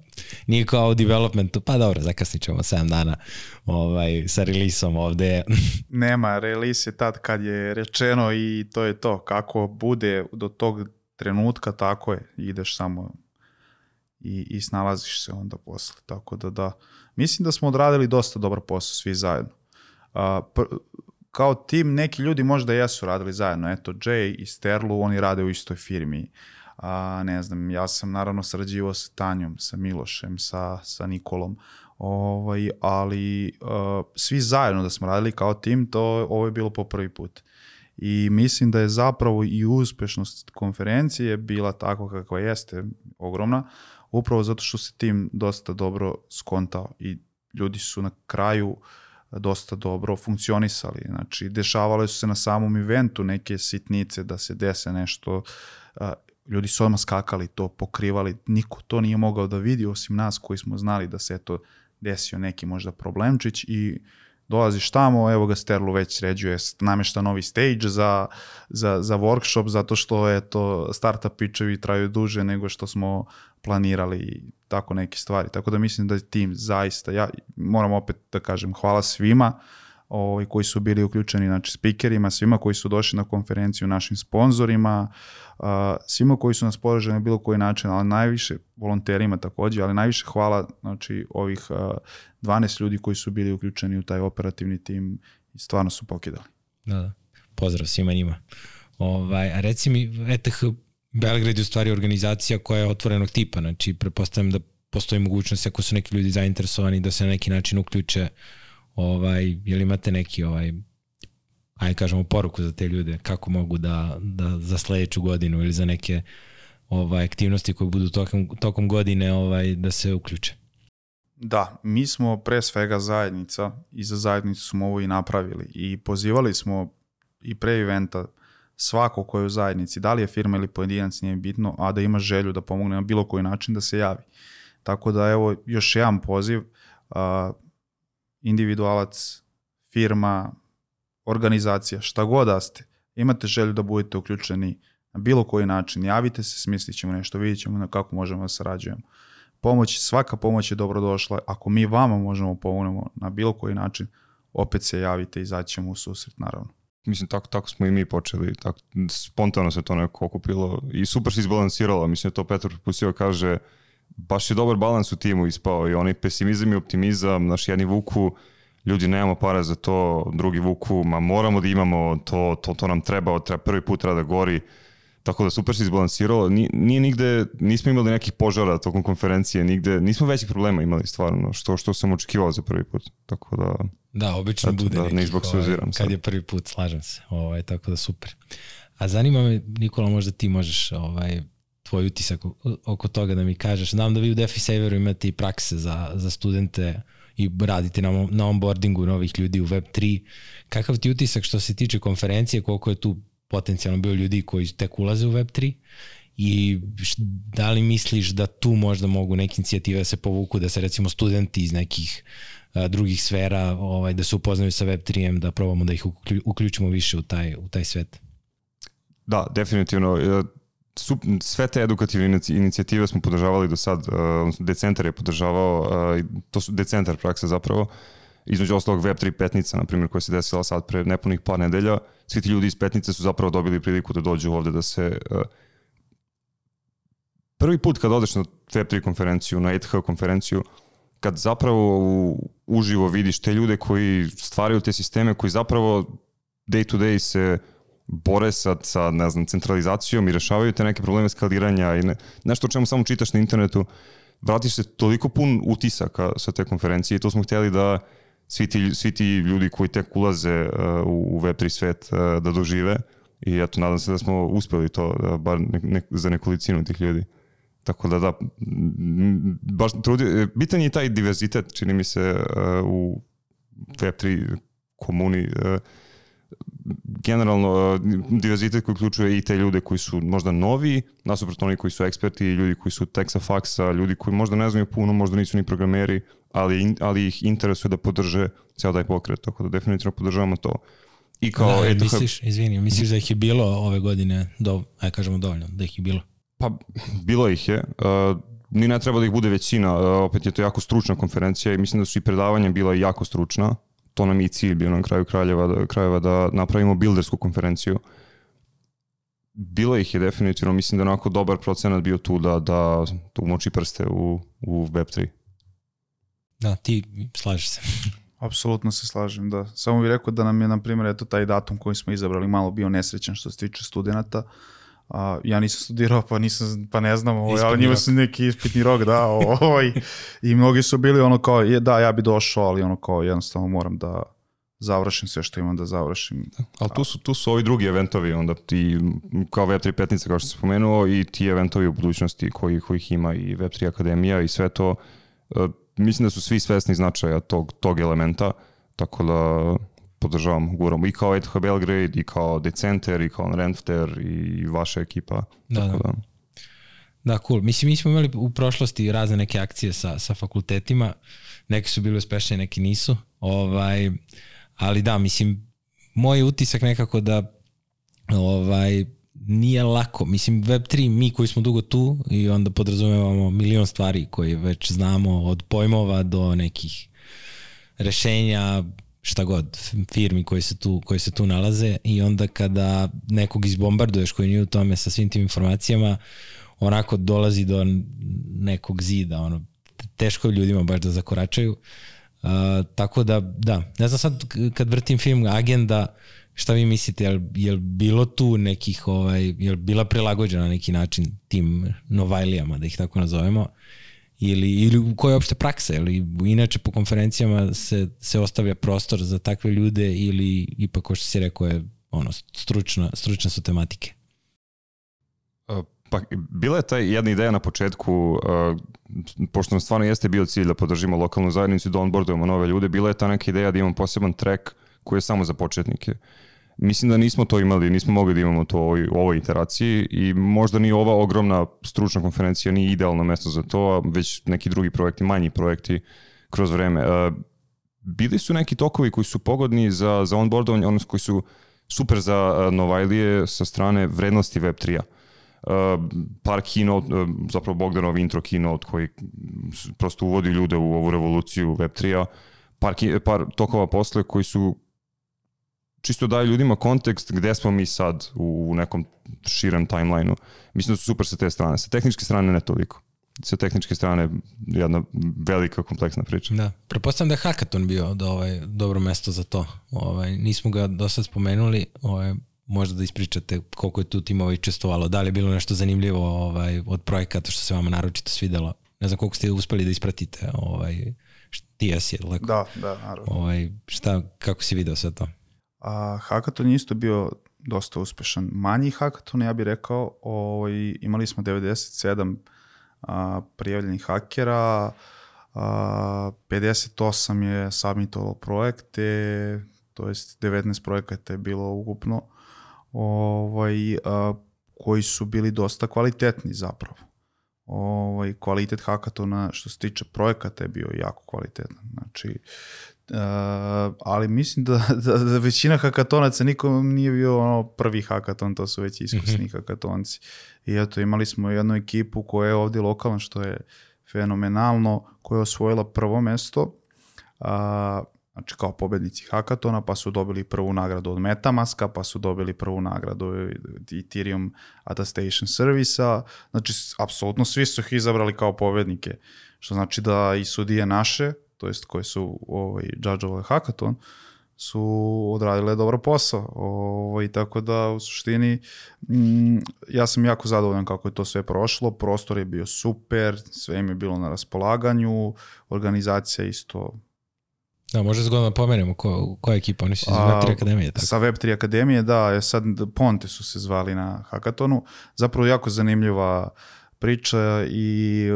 nije kao u developmentu, pa dobro, zakasnit ćemo sedam dana ovaj, sa releaseom ovde. Nema, release je tad kad je rečeno i to je to. Kako bude do tog trenutka, tako je, ideš samo i, i snalaziš se onda posle. Tako da da, mislim da smo odradili dosta dobar posao svi zajedno. Uh, pr- kao tim neki ljudi možda jesu radili zajedno. Eto, Jay i Sterlu, oni rade u istoj firmi. A, ne znam, ja sam naravno sarađivao sa Tanjom, sa Milošem, sa, sa Nikolom. Ovaj, ali uh, svi zajedno da smo radili kao tim, to ovo je bilo po prvi put. I mislim da je zapravo i uspešnost konferencije bila tako kakva jeste, ogromna, upravo zato što se tim dosta dobro skontao i ljudi su na kraju dosta dobro funkcionisali. Znači, dešavale su se na samom eventu neke sitnice da se dese nešto. Ljudi su odmah skakali, to pokrivali. Niko to nije mogao da vidi osim nas koji smo znali da se eto desio neki možda problemčić i dolaziš tamo, evo ga Sterlu već sređuje, namješta novi stage za, za, za workshop, zato što eto, startup pitchevi traju duže nego što smo planirali i tako neke stvari. Tako da mislim da je tim zaista, ja moram opet da kažem hvala svima ovaj, koji su bili uključeni, znači speakerima, svima koji su došli na konferenciju, našim sponzorima, uh, svima koji su nas podržali na bilo koji način, ali najviše volonterima također, ali najviše hvala znači, ovih uh, dvanaest ljudi koji su bili uključeni u taj operativni tim i stvarno su pokidali. Da, da. Pozdrav svima njima. Ovaj, a reci mi, E T H Belgrade je u stvari organizacija koja je otvorenog tipa, znači pretpostavljam da postoji mogućnost ako su neki ljudi zainteresovani da se na neki način uključe, ovaj, jel imate neki ovaj, ajde kažemo poruku za te ljude, kako mogu da, da za sledeću godinu ili za neke ovaj, aktivnosti koje budu tokom, tokom godine ovaj, da se uključe? Da, mi smo pre svega zajednica i za zajednicu smo ovo i napravili i pozivali smo i pre eventa svako ko je u zajednici, da li je firma ili pojedinac, nije bitno, a da ima želju da pomogne na bilo koji način da se javi. Tako da evo još jedan poziv, uh, individualac, firma, organizacija, šta god da ste, imate želju da budete uključeni na bilo koji način, javite se, smislit ćemo nešto, vidjet ćemo na kako možemo da sarađujemo. Pomoć, svaka pomoć je dobrodošla, ako mi vama možemo pomognemo na bilo koji način, opet se javite i izaći ćemo u susret, naravno. Mislim, tako, tako smo i mi počeli, tako, spontano se to neko okupilo i super se izbalansiralo, mislim, to Petar propustio kaže, baš je dobar balans u timu ispao i onaj pesimizam i optimizam, naš jedni vuku, ljudi nemamo para za to, drugi vuku, ma moramo da imamo, to, to, to nam treba, treba prvi put treba da gori, tako da super se izbalansiralo, nije, nije nigde, nismo imali nekih požara tokom konferencije, nigde, nismo većih problema imali stvarno, što, što sam očekivao za prvi put, tako da... Da, obično eto, bude da, nekih, ovaj, kad sad. je prvi put, slažem se, ovaj, tako da super. A zanima me, Nikola, možda ti možeš ovaj, tvoj utisak oko toga da mi kažeš, znam da vi u DefiSaveru imate i prakse za, za studente i radite na, na onboardingu novih ljudi u Web tri. Kakav ti utisak što se tiče konferencije, koliko je tu potencijalno bio ljudi koji tek ulaze u Web tri i da li misliš da tu možda mogu neke inicijative da se povuku, da se recimo studenti iz nekih a, drugih sfera ovaj, da se upoznaju sa Web tri-em, da probamo da ih uključimo više u taj, u taj svet? Da, definitivno. Sve te edukativne inicijative smo podržavali do sad, Decentar je podržavao, to su Decentar prakse zapravo, između ostalog Web tri Petnica, na primjer, koja se desila sad pre nepunih par nedelja, svi ti ljudi iz Petnice su zapravo dobili priliku da dođu ovde da se... Prvi put kad odeš na Web tri konferenciju, na E T H konferenciju, kad zapravo uživo vidiš te ljude koji stvaraju te sisteme, koji zapravo day to day se bore sa, sa ne znam, centralizacijom i rešavaju te neke probleme skaliranja i ne, nešto o čemu samo čitaš na internetu, vratiš se toliko pun utisaka sa te konferencije i to smo htjeli da svi ti, svi ti ljudi koji tek ulaze uh, u Web tri svet uh, da dožive i eto, nadam se da smo uspeli to, uh, bar ne, ne, za nekolicinu tih ljudi. Tako da da, baš trudi, bitan je taj diverzitet, čini mi se, uh, u Web tri komuni, uh, generalno uh, diverzitet koji uključuje i te ljude koji su možda novi, nasuprot oni koji su eksperti, ljudi koji su tek sa faksa, ljudi koji možda ne znaju puno, možda nisu ni programeri, ali, ali ih interesuje da podrže ceo taj pokret, tako da definitivno podržavamo to. I kao da, E T H... misliš, izvini, misliš da ih je bilo ove godine, do, aj kažemo dovoljno, da ih je bilo? Pa, bilo ih je. Uh, ni ne treba da ih bude većina, uh, opet je to jako stručna konferencija i mislim da su i predavanja bila jako stručna. To nam je i cilj bio na kraju kraljeva da, krajeva da napravimo buildersku konferenciju. Bilo ih je definitivno, mislim da je onako dobar procenat bio tu da, da, da umoči prste u, u Web tri. Da, ti slažeš se. Apsolutno se slažem, da. Samo bih rekao da nam je, na primjer, eto taj datum koji smo izabrali malo bio nesrećan što se tiče studenta. Uh, ja nisam studirao, pa nisam, pa ne znam, ovaj, ali njima su neki ispitni rok, da, ovaj, i mnogi su bili ono kao, je, da, ja bi došao, ali ono kao, jednostavno moram da završim sve što imam da završim. Ali tu su, tu su ovi drugi eventovi, onda ti, kao Web tri Petnica, kao što sam spomenuo, i ti eventovi u budućnosti koji, kojih ima i Web tri Akademija i sve to, uh, mislim da su svi svesni značaja tog, tog elementa, tako da podržavam, govorim i kao E T H Belgrade, i kao Decentar, i kao Renfter, i vaša ekipa. Da, tako da. da. Da, cool. Mislim, mi smo imali u prošlosti razne neke akcije sa, sa fakultetima, neke su bile uspešne, neke nisu, ovaj, ali da, mislim, moj utisak nekako da ovaj, nije lako. Mislim, Web tri, mi koji smo dugo tu i onda podrazumevamo milion stvari koje već znamo, od pojmova do nekih rešenja, šta god, firmi koje se tu, koje se tu nalaze, i onda kada nekog izbombarduješ koji nije u tome sa svim tim informacijama, onako dolazi do nekog zida, ono, teško je ljudima baš da zakoračaju. Uh, tako da, da, ne znam sad kad vrtim film Agenda, Šta vi mislite, je li, je li bilo tu nekih, ovaj, je li bila prilagođena na neki način tim Novajlijama, da ih tako nazovemo, ili, ili koja je uopšte praksa, ili inače po konferencijama se, se ostavlja prostor za takve ljude ili ipak, ko što si rekao, je ono, stručna, stručne su tematike? Pa bila je ta jedna ideja na početku, uh, pošto nam stvarno jeste bio cilj da podržimo lokalnu zajednicu i da onboardujemo nove ljude, bila je ta neka ideja da imamo poseban track koji je samo za početnike. Mislim da nismo to imali, nismo mogli da imamo to u ovoj, u ovoj iteraciji i možda ni ova ogromna stručna konferencija nije idealno mesto za to, već neki drugi projekti, manji projekti kroz vreme. Uh, bili su neki tokovi koji su pogodni za, za onboardovanje, odnosno koji su super za uh, Novajlije sa strane vrednosti web tri-a. Uh, par keynote, uh, zapravo Bogdanov intro keynote koji prosto uvodi ljude u ovu revoluciju web tri-a, par, par tokova posle koji su čisto daju ljudima kontekst gde smo mi sad u nekom širem timelineu. Mislim da su super sa te strane. Sa tehničke strane ne toliko. Sa tehničke strane jedna velika kompleksna priča. Da, prepostavljam da je hackathon bio da, ovaj, dobro mesto za to. Ovaj, nismo ga do sad spomenuli, ovaj, možda da ispričate koliko je tu timova učestvovalo, da li je bilo nešto zanimljivo ovaj, od projekata što se vama naročito svidelo. Ne znam koliko ste uspeli da ispratite. Ovaj, ti jesi, je lako? Da, da, naravno. Ovaj, šta, kako si video sve to? A, hackathon je isto bio dosta uspešan. Manji hackathon, ja bih rekao, ovaj, imali smo devedeset sedam a, prijavljenih hakera, a, pedeset osam je submitovalo projekte, to jest devetnaest projekata je bilo ukupno, ovaj, a, koji su bili dosta kvalitetni zapravo. Ovaj, kvalitet hackathona što se tiče projekata je bio jako kvalitetan. Znači, Uh, ali mislim da, da, da većina hakatonaca nikom nije bio ono prvi hakaton, to su već iskusni mm-hmm. hakatonci. I eto, imali smo jednu ekipu koja je ovdje lokalna, što je fenomenalno, koja je osvojila prvo mesto, uh, znači kao pobednici hakatona, pa su dobili prvu nagradu od Metamaska, pa su dobili prvu nagradu od Ethereum Attestation Servisa, znači apsolutno svi su ih izabrali kao pobednike, što znači da i sudije naše, to jest koje su ovaj, judgeovali hackathon, su odradile dobro posao. Ovaj, tako da u suštini mm, ja sam jako zadovoljan kako je to sve prošlo, prostor je bio super, sve im je bilo na raspolaganju, organizacija isto. Da, možda zgodno pomenemo ko, koja ekipa, oni su iz Web tri Akademije. Tako. Sa Web tri Akademije, da, je sad Ponte su se zvali na hackathonu, zapravo jako zanimljiva priča i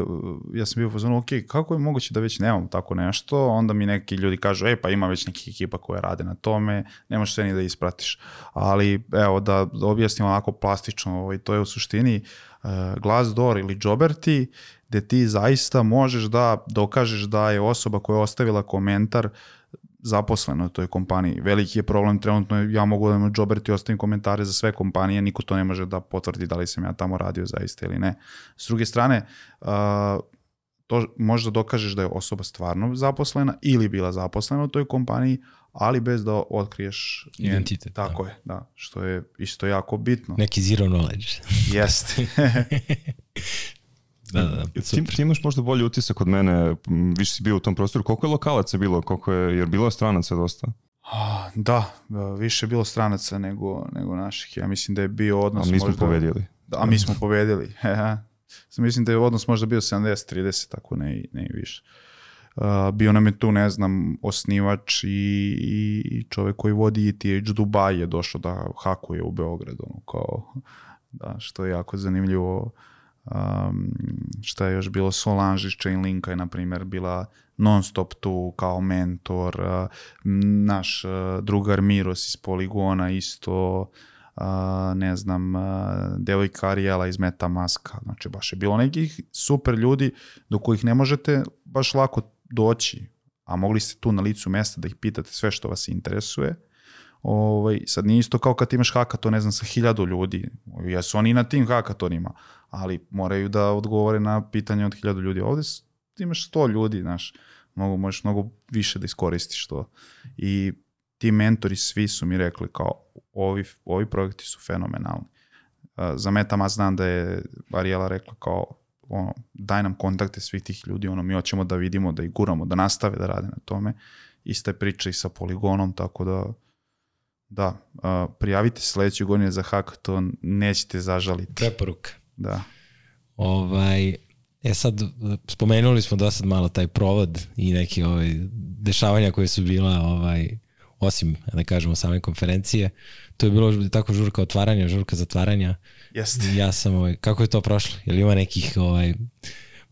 ja sam bio u fazonu, ok, kako je moguće da već nemam tako nešto, onda mi neki ljudi kažu, e pa ima već nekih ekipa koje rade na tome, nemaš sve ni da ispratiš, ali evo da, da objasnim onako plastično, ovaj, to je u suštini uh, Glassdoor ili Jobberty, gde ti zaista možeš da dokažeš da je osoba koja je ostavila komentar zaposleno u toj kompaniji. Veliki je problem trenutno, ja mogu da na Jobberty ostavim komentare za sve kompanije, niko to ne može da potvrdi da li sam ja tamo radio zaista ili ne. S druge strane, uh, to možda dokažeš da je osoba stvarno zaposlena ili bila zaposlena u toj kompaniji, ali bez da otkriješ identitet. Tako da. je, da, što je isto jako bitno. Neki zero knowledge. Jeste. Da, da, ti, ti imaš možda bolji utisak od mene, više si bio u tom prostoru. Koliko je lokalaca bilo? Koliko je, jer bilo je stranaca dosta? Da, više je bilo stranaca nego, nego naših. Ja mislim da je bio odnos... A mi smo možda, pobedili. Da, a mi smo pobedili. Mislim da je odnos možda bio sedamdeset trideset, tako ne, ne i više. Uh, bio nam je tu, ne znam, osnivač i, i, i čovjek koji vodi E T H Dubai je došao da hakuje u Beogradu. Ono, kao, da, što je jako zanimljivo. Um, šta je još bilo, Solange iz Chainlinka je na primjer bila non stop tu kao mentor, uh, naš uh, drugar Miros iz Poligona isto, uh, ne znam, uh, devojka Ariela iz Metamaska, znači baš je bilo nekih super ljudi do kojih ne možete baš lako doći, a mogli ste tu na licu mjesta da ih pitate sve što vas interesuje. Ovaj, sad nije isto kao kad imaš hackathon, ne znam, sa hiljadu ljudi, jesu oni na tim hackathonima, ali moraju da odgovore na pitanje od hiljadu ljudi. Ovdje imaš sto ljudi, znaš, mogu, možeš mnogo više da iskoristiš to. I ti mentori svi su mi rekli kao, ovi, ovi projekti su fenomenalni. Uh, za Metamask znam da je Ariela rekla kao, ono, daj nam kontakte svih tih ljudi, ono, mi hoćemo da vidimo, da ih guramo, da nastave da rade na tome. Ista je priča i sa Poligonom, tako da da, uh, prijavite se sledeće godine za hackathon, nećete zažaliti. Preporuka. Da. Ovaj, e sad, spomenuli smo do sad malo taj provod i neke ovaj, dešavanja koje su bila, ovaj, osim, da kažemo, same konferencije. To je bilo tako žurka otvaranja, žurka zatvaranja. Jeste. Ja sam, ovaj, kako je to prošlo? Je li ima nekih ovaj,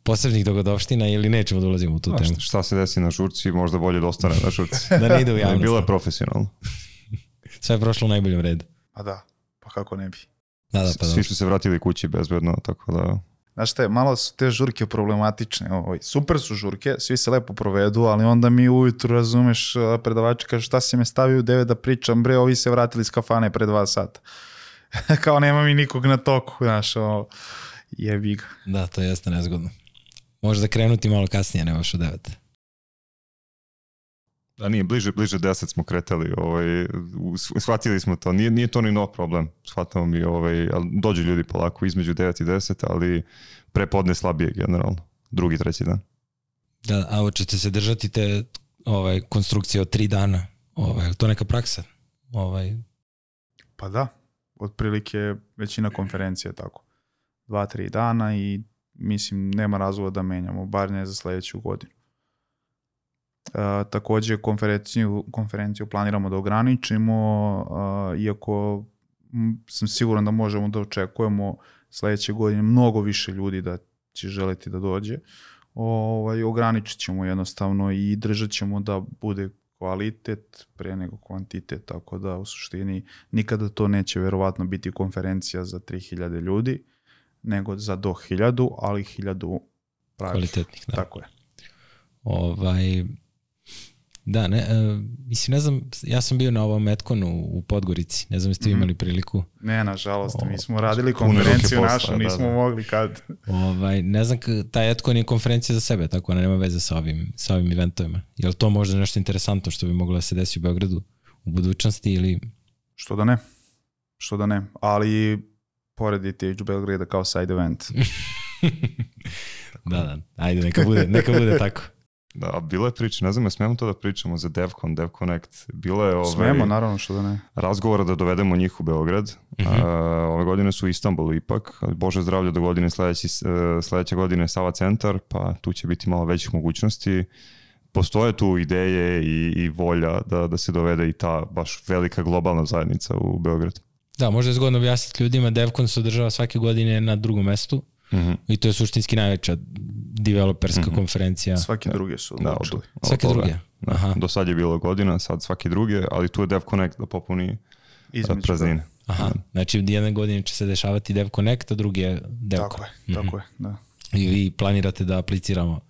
posebnih dogodovština ili nećemo da ulazimo u tu A, temu? Šta, šta se desi na žurci, možda bolje da ostane na žurci. Da ne ide u javnost. Bilo je profesionalno. Sve je prošlo u najboljem redu. Pa da, pa kako ne bi. Da, da, pa Svi su se vratili kući bezbedno, tako da... Znaš šta je, malo su te žurke problematične. Ovaj. Super su žurke, svi se lepo provedu, ali onda mi ujutru, razumeš, predavači kaže šta si me stavio u devet da pričam, bre, ovi se vratili iz kafane pre dva sata. Kao nema mi nikog na toku, znaš, ovo, jebi ga. Da, to jeste nezgodno. Možda krenuti malo kasnije, ne baš u devet. Da, nije, bliže, bliže deset smo kretali, ovaj, shvatili smo to, nije, nije to ni nov problem, shvatamo mi, ovaj, ali dođu ljudi polako između devet i deset, ali prepodne slabije generalno, drugi, treći dan. Da, a hoćete se držati te ovaj, konstrukcije od tri dana, ovaj, je li to neka praksa? Ovaj... Pa da, otprilike većina konferencija tako. Dva, tri dana i mislim nema razloga da menjamo, bar ne za sledeću godinu. Uh, takođe konferenciju, konferenciju planiramo da ograničimo, uh, iako m, sam siguran da možemo da očekujemo sledeće godine mnogo više ljudi da će želiti da dođe. Ovaj, ograničit ćemo jednostavno i držat ćemo da bude kvalitet pre nego kvantitet, tako da u suštini nikada to neće verovatno biti konferencija za tri hiljade ljudi, nego za do hiljadu, ali hiljadu pravih. Kvalitetnih, da. Tako je. Ovaj... Da, ne, uh, mislim, ne znam, ja sam bio na ovom Etkonu u Podgorici, ne znam jeste vi imali priliku. Ne, nažalost, O, mi smo radili konferenciju posla, našu, da, nismo da. mogli kad. Ovaj, ne znam, taj Etkon je konferencija za sebe, tako ona nema veze sa ovim, sa ovim eventovima. Je li to možda nešto interesantno što bi moglo da se desi u Beogradu u budućnosti ili... Što da ne, što da ne, ali poredite H Belgrade kao side event. Da, da, ajde, neka bude, neka bude tako. Da, bilo je priča, ne znam, ja smemo to da pričamo za DevCon, DevConnect. Bilo je ovaj, Smemo, naravno, što da ne. razgovora da dovedemo njih u Beograd. Mhm. A, ove godine su u Istanbulu ipak. Bože zdravlje do godine sledeći, sledeće godine Sava centar, pa tu će biti malo većih mogućnosti. Postoje tu ideje i, i volja da, da se dovede i ta baš velika globalna zajednica u Beograd. Da, možda je zgodno objasniti ljudima, DevCon se održava svake godine na drugom mestu. Mm-hmm. I to je suštinski najveća developerska mm-hmm. konferencija. Svaki drugi su odlučili. Da, Svake od druge? Da. Aha. Do sad je bilo godina, sad svaki druge, ali tu je DevConnect da popuni Između, praznine. Aha, znači jedne godine će se dešavati DevConnect, a drugi je DevCon. Tako je, mm-hmm. tako je, da. I vi planirate da apliciramo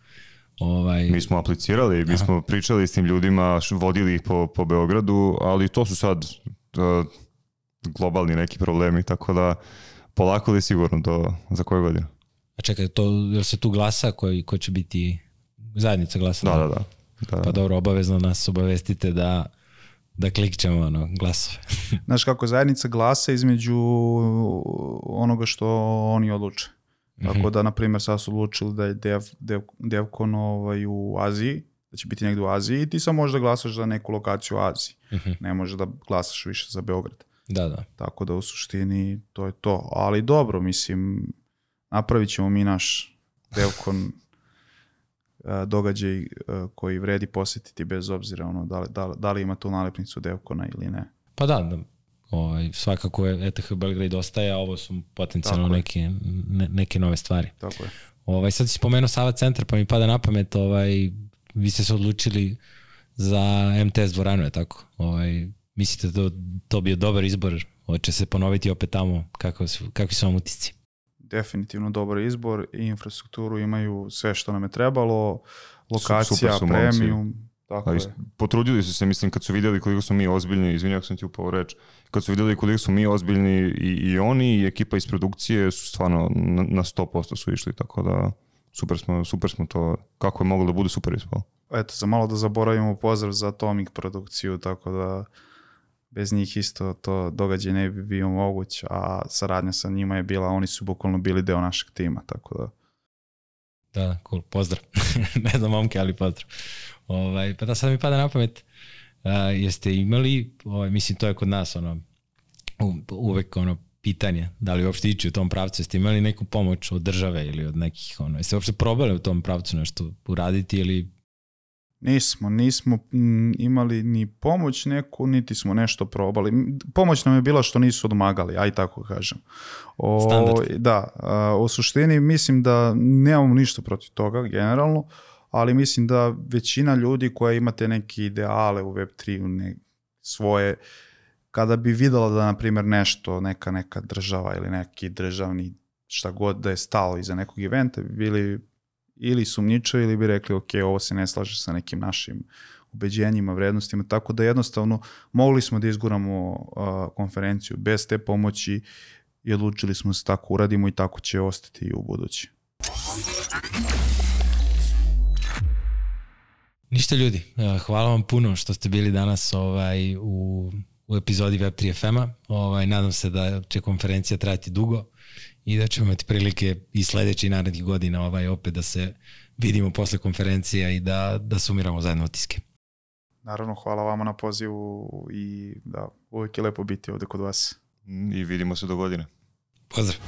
ovaj... Mi smo aplicirali, mi Aha. smo pričali s tim ljudima, vodili ih po, po Beogradu, ali to su sad uh, globalni neki problemi, tako da polako li sigurno do, za koju godinu. A čekaj, to, jel se tu glasa koji, ko će biti zajednica glasa? Da, da, da. da. Pa dobro, obavezno nas obavestite da, da klikćemo ono, glasove. Znaš kako zajednica glasa između onoga što oni odluče. Tako mm-hmm. da, na primjer, sad su odlučili da je dev, dev, DevCon ovaj, u Aziji, da će biti negdje u Aziji i ti sam možeš da glasaš za neku lokaciju u Aziji. Mm-hmm. Ne možeš da glasaš više za Beograd. Da, da. Tako da u suštini to je to. Ali dobro, mislim, napravit ćemo mi naš DevCon događaj koji vredi posjetiti bez obzira ono, da, li, da, da li ima tu nalepnicu DevCona ili ne. Pa da, da. Ovaj, svakako je E T H Belgrade ostaje, a ovo su potencijalno neke, ne, neke nove stvari. Tako je. Ovaj, sad si spomenuo Sava centar, pa mi pada na pamet, ovaj, vi ste se odlučili za M T S dvoranu, je tako? Ovaj, mislite da to, to bio dobar izbor? Hoće se ponoviti opet tamo? Kako su, kakvi su vam utisci? Definitivno dobar izbor i infrastrukturu imaju sve što nam je trebalo, lokacija, su premium. Tako je. Potrudili su se, mislim, kad su vidjeli koliko smo mi ozbiljni, izvinjam ako sam ti upao reč, kad su vidjeli koliko smo mi ozbiljni i, i oni i ekipa iz produkcije su stvarno na, na sto posto su išli, tako da super smo, super smo to, kako je moglo da bude super ispalo. Eto, za malo da zaboravimo pozdrav za Atomic produkciju, tako da bez njih isto to događaj ne bi bio moguć, a saradnja sa njima je bila, oni su bukvalno bili deo našeg tima, tako da. Da, cool, pozdrav. Ne znam momke, ali pozdrav. Ovaj, pa da sad mi pada na pamet, jeste imali, ovaj, mislim to je kod nas ono, u, uvek ono pitanje, da li uopšte ići u tom pravcu, jeste imali neku pomoć od države ili od nekih, ono, jeste uopšte probali u tom pravcu nešto uraditi ili... Nismo, nismo imali ni pomoć neku, niti smo nešto probali. Pomoć nam je bila što nisu odmagali, aj tako kažem. O, Standard. Da, a, u suštini mislim da nemamo ništa protiv toga generalno, ali mislim da većina ljudi koja imate neke ideale u web tri, ne, svoje, kada bi videla da, na primjer, nešto, neka neka država ili neki državni, šta god da je stalo iza nekog eventa, bi bili ili sumnjičavi ili bi rekli ok, ovo se ne slaže sa nekim našim ubeđenjima, vrednostima, tako da jednostavno mogli smo da izguramo uh, konferenciju bez te pomoći i odlučili smo se tako uradimo i tako će ostati i u budući. Ništa ljudi, hvala vam puno što ste bili danas ovaj, u, u epizodi Web tri F M-a. Ovaj, nadam se da će konferencija trajati dugo i da ćemo imati prilike i sledeći i narednih godina ovaj, opet da se vidimo posle konferencija i da, da sumiramo zajedno utiske. Naravno, hvala vama na pozivu i da, uvijek je lepo biti ovde kod vas. I vidimo se do godine. Pozdrav!